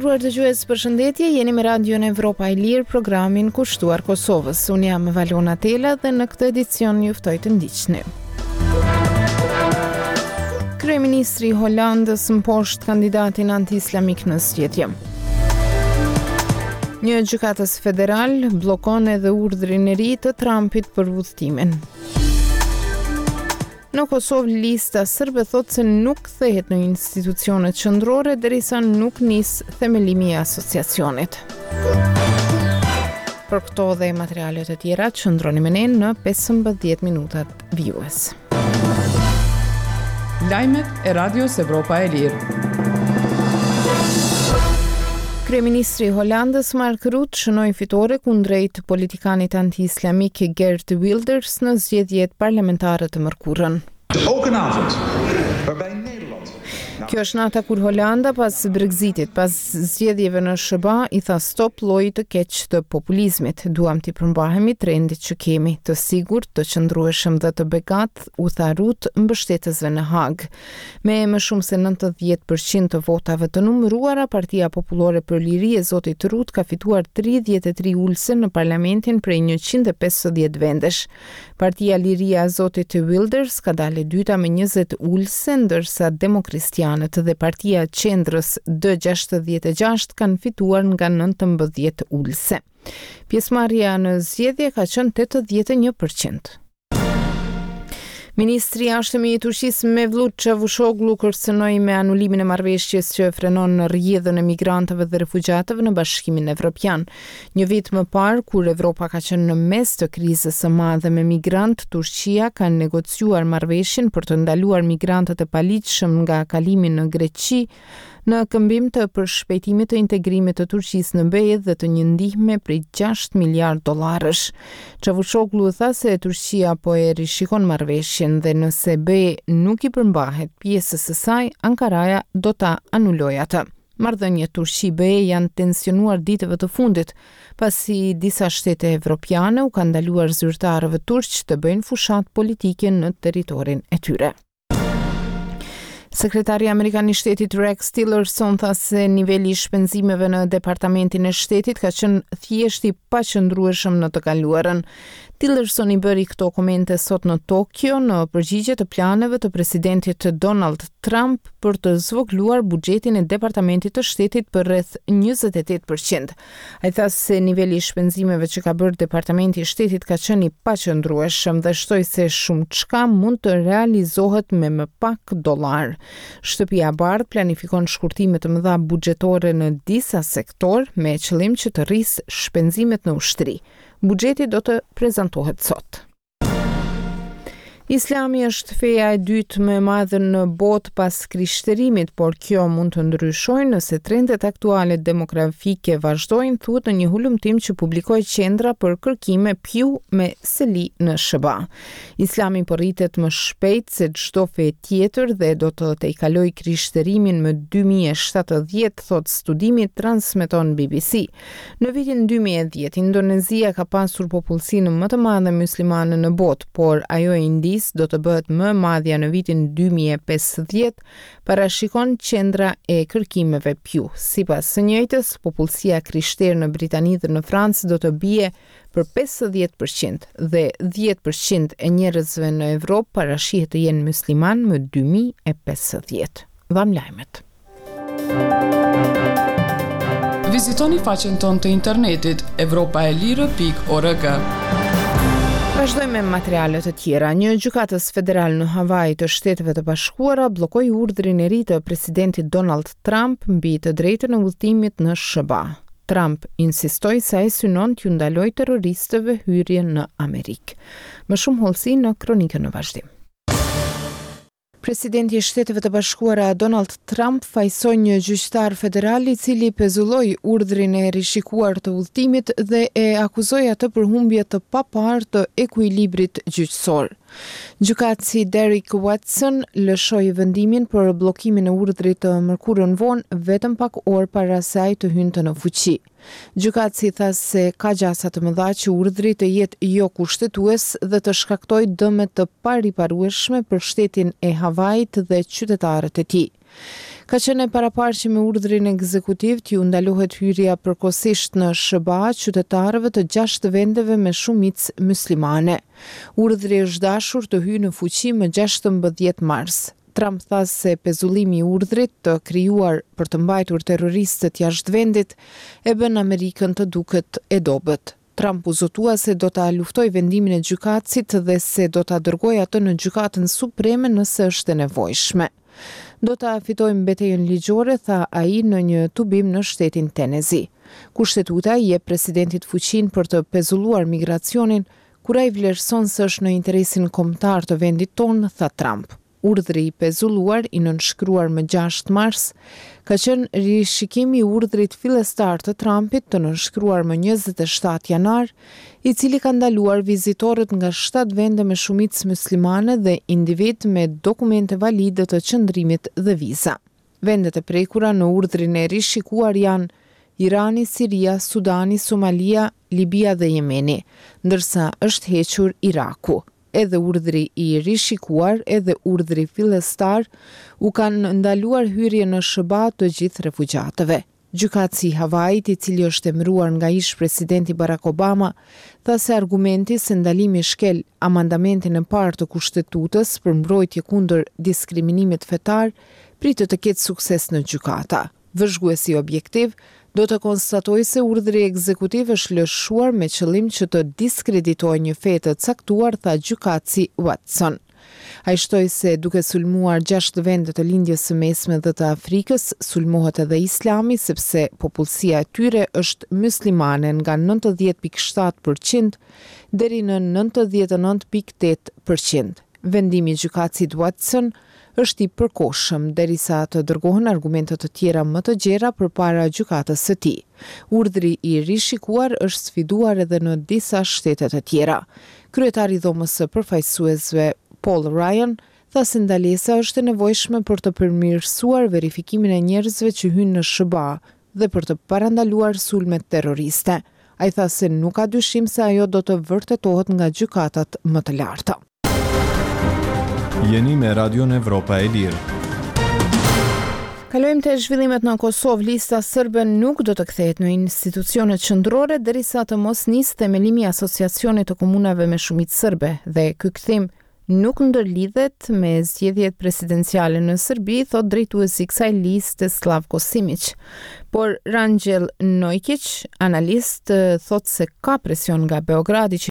Nderuar dëgjues, përshëndetje, jeni me Radion Evropa e Lirë, programin kushtuar Kosovës. Unë jam Valona Tela dhe në këtë edicion ju ftoj të ndiqni. Kryeministri i Holandës mposht kandidatin anti-islamik në zgjedhje. Një gjykatës federal bllokon edhe urdhrin e ri të Trumpit për udhëtimin. Në Kosovë lista sërbe thotë se nuk kthehet në institucionet qendrore derisa nuk nis themelimi i asociacionit. Për këto dhe materiale të tjera, qëndroni me ne në 15 minutat vijues. Lajmet e Radios Evropa e Lirë. Kryeministri i Holandës Mark Rutte shënoi fitore kundrejt politikanit anti-islamik Geert Wilders në zgjedhjet parlamentare të mërkurën. Ook een avond waarbij Nederland Kjo është nata kur Holanda pas Brexitit, pas zgjedhjeve në SHBA, i tha stop llojit të keq të populizmit. Duam t'i përmbahemi trendit që kemi, të sigurt, të qëndrueshëm dhe të begatë, u tha Rutte mbështetësve në Hagë. Me më shumë se 90 për qind të votave të numëruara, Partia Popullore për Liri e zotit Rutte ka fituar 33 ulëse në parlamentin prej 150 vendesh. Partia Liria e zotit Wilders ka dalë e dyta me 20 ulëse, ndërsa Demokristianët dhe Partia e Qendrës D66 kanë fituar nga 19 ulëse. Pjesëmarrja në zgjedhje ka qenë 81 për qind. Ministri i Jashtëm i Turqisë Mevlut Çavushoglu kërcënoi me anulimin e marrëveshjes që frenon rrjedhën e migrantëve dhe refugjatëve në Bashkimin Evropian. Një vit më parë, kur Evropa ka qenë në mes të krizës së madhe me migrantë, Turqia ka negociuar marrëveshjen për të ndaluar migrantët e paligjshëm nga kalimi në Greqi, në këmbim të përshpejtimit të integrimit të Turqisë në BE dhe të një ndihme prej 6 miliard dollarësh. Çavushoglu tha se Turqia po e rishikon marrëveshjen dhe nëse BE nuk i përmbahet pjesës së saj, Ankaraja do ta anulojë atë. Marrëdhëniet Turqi-BE janë tensionuar ditëve të fundit, pasi disa shtete evropiane u kanë ndaluar zyrtarëve turq të bëjnë fushatë politike në territorin e tyre. Sekretari amerikan i shtetit Rex Tillerson tha se niveli i shpenzimeve në Departamentin e Shtetit ka qenë thjesht i paqëndrueshëm në të kaluarën. Tillerson i bëri këto komente sot në Tokio në përgjigje të planeve të presidentit Donald Trump për të zvogëluar buxhetin e Departamentit të Shtetit për rreth 28%. Ai tha se niveli i shpenzimeve që ka bërë Departamenti i Shtetit ka qenë i paqëndrueshëm dhe shtoi se shumëçka mund të realizohet me më pak dollarë. Shtëpia e Bardhë planifikon shkurtime të mëdha buxhetore në disa sektorë me qëllim që të rrisë shpenzimet në ushtri. Buxheti do të prezantohet sot. Islami është feja e dytë më e madhe në botë pas krishterimit, por kjo mund të ndryshojë nëse trendet aktuale demografike vazhdojnë, thuhet në një hulumtim që publikoi Qendra për Kërkime Pew me seli në SHBA. Islami po rritet më shpejt se çdo fe tjetër dhe do të tejkalojë krishterimin më 2070, thotë studimi, transmeton BBC. Në vitin 2010, Indonezia ka pasur popullsinë më të madhe myslimane në botë, por ajo e Indisë do të bëhet më e madhja në vitin 2050, parashikon Qendra e Kërkimeve Pew. Sipas së njëjtës, popullsia e krishterë në Britani dhe në Francë do të bie për 50% dhe 10% e njerëzve në Evropë parashihet të jenë myslimanë më 2050. Dhamë lajmet. Vizitoni faqen tonë të internetit evropaelire.org. Vazhdojmë me materiale të tjera. Një gjykatës federal në Hawaii të Shteteve të Bashkuara bllokoi urdhrin e ri të presidentit Donald Trump mbi të drejtën e udhëtimit në SHBA. Trump insistoi se ai synon t'ju ndalojë terroristëve hyrjen në Amerikë. Më shumë hollësi në kronikën në vazhdim. Presidenti i Shteteve të Bashkuara, Donald Trump, fajësoi një gjyqtar federal i cili pezulloi urdhrin e rishikuar të udhëtimit dhe e akuzoi atë për humbje të paparë të ekuilibrit gjyqësor. Gjykatësi Derrick Watson lëshoi vendimin për bllokimin e urdhrit të mërkurën vonë, vetëm pak orë para se ai të hynte në fuqi. Gjykatësi tha se ka gjasa të mëdha që urdhri të jetë jokushtetues dhe të shkaktojë dëme të pariparueshme për shtetin e Havait dhe qytetarët e tij. Ka qenë e paraparë që me urdhrin ekzekutiv t'iu ndalohet hyrja përkohësisht në SHBA qytetarëve të gjashtë vendeve me shumicë myslimane. Urdhri është dashur të hyjë në fuqi më 16 mars. Trump tha se pezullimi i urdhrit, të krijuar për të mbajtur terroristët jashtë vendit, e bën Amerikën të duket e dobët. Trump u zotua se do ta luftojë vendimin e gjykatësit dhe se do ta dërgojë atë në Gjykatën Supreme nëse është e nevojshme. Do ta fitojmë betejën ligjore, tha ai në një tubim në shtetin Tenezi. Kushtetuta i jep presidentit fuqinë për të pezulluar migracionin kur ai vlerëson se është në interesin kombëtar të vendit tonë, tha Trump. Urdhri i pezulluar, i nënshkruar më gjashtë mars, ka qenë rishikim i urdhrit fillestar të Trumpit të nënshkruar më 27 janar, i cili ka ndaluar vizitorët nga shtatë vende me shumicë myslimane dhe individë me dokumente valide të qëndrimit dhe viza. Vendet e prekura në urdhrin e rishikuar janë Irani, Siria, Sudani, Somalia, Libia dhe Jemeni, ndërsa është hequr Iraku. Edhe urdhri i rishikuar edhe urdhri fillestar u kanë ndaluar hyrjen në SHBA të gjithë refugjatëve. Gjykatësi i Havait, i cili është emëruar nga ish-presidenti Barack Obama, tha se argumenti se ndalimi shkel amandamentin e parë të Kushtetutës për mbrojtje kundër diskriminimit fetar, pritet të ketë sukses në gjykata. Vëzhguesi objektiv do të konstatojë se urdhri ekzekutiv është lëshuar me qëllim që të diskreditojë një fe të caktuar, tha gjykatësi Watson. Ai shtoi se duke sulmuar gjashtë vende të Lindjes së Mesme dhe të Afrikës, sulmohet edhe Islami sepse popullsia e tyre është myslimane nga 90.7 për qind deri në 99.8 për qind. Vendimi i gjykatësit Watson është i përkohshëm, derisa të dërgohen argumente të tjera më të gjera përpara gjykatës së tij. Urdhri i rishikuar është sfiduar edhe në disa shtete të tjera. Kryetari i Dhomës së Përfaqësuesve, Paul Ryan, tha se ndalesa është e nevojshme për të përmirësuar verifikimin e njerëzve që hyjnë në SHBA dhe për të parandaluar sulmet terroriste. Ai tha se nuk ka dyshim se ajo do të vërtetohet nga gjykatat më të larta. Jeni me Radion Evropa e Lirë. Kalojmë te zhvillimet në Kosovë. Lista serbe nuk do të kthehet në institucionet qendrore derisa të mos nisë themelimi i Asociacionit të Komunave me shumicë serbe dhe ky kthim nuk ndërlidhet me zgjedhjet presidenciale në Serbi, thotë drejtuesi i kësaj liste Slavko Simiq. Por Rangjel Nojkiq, analist, thotë se ka presion nga Beogradi që.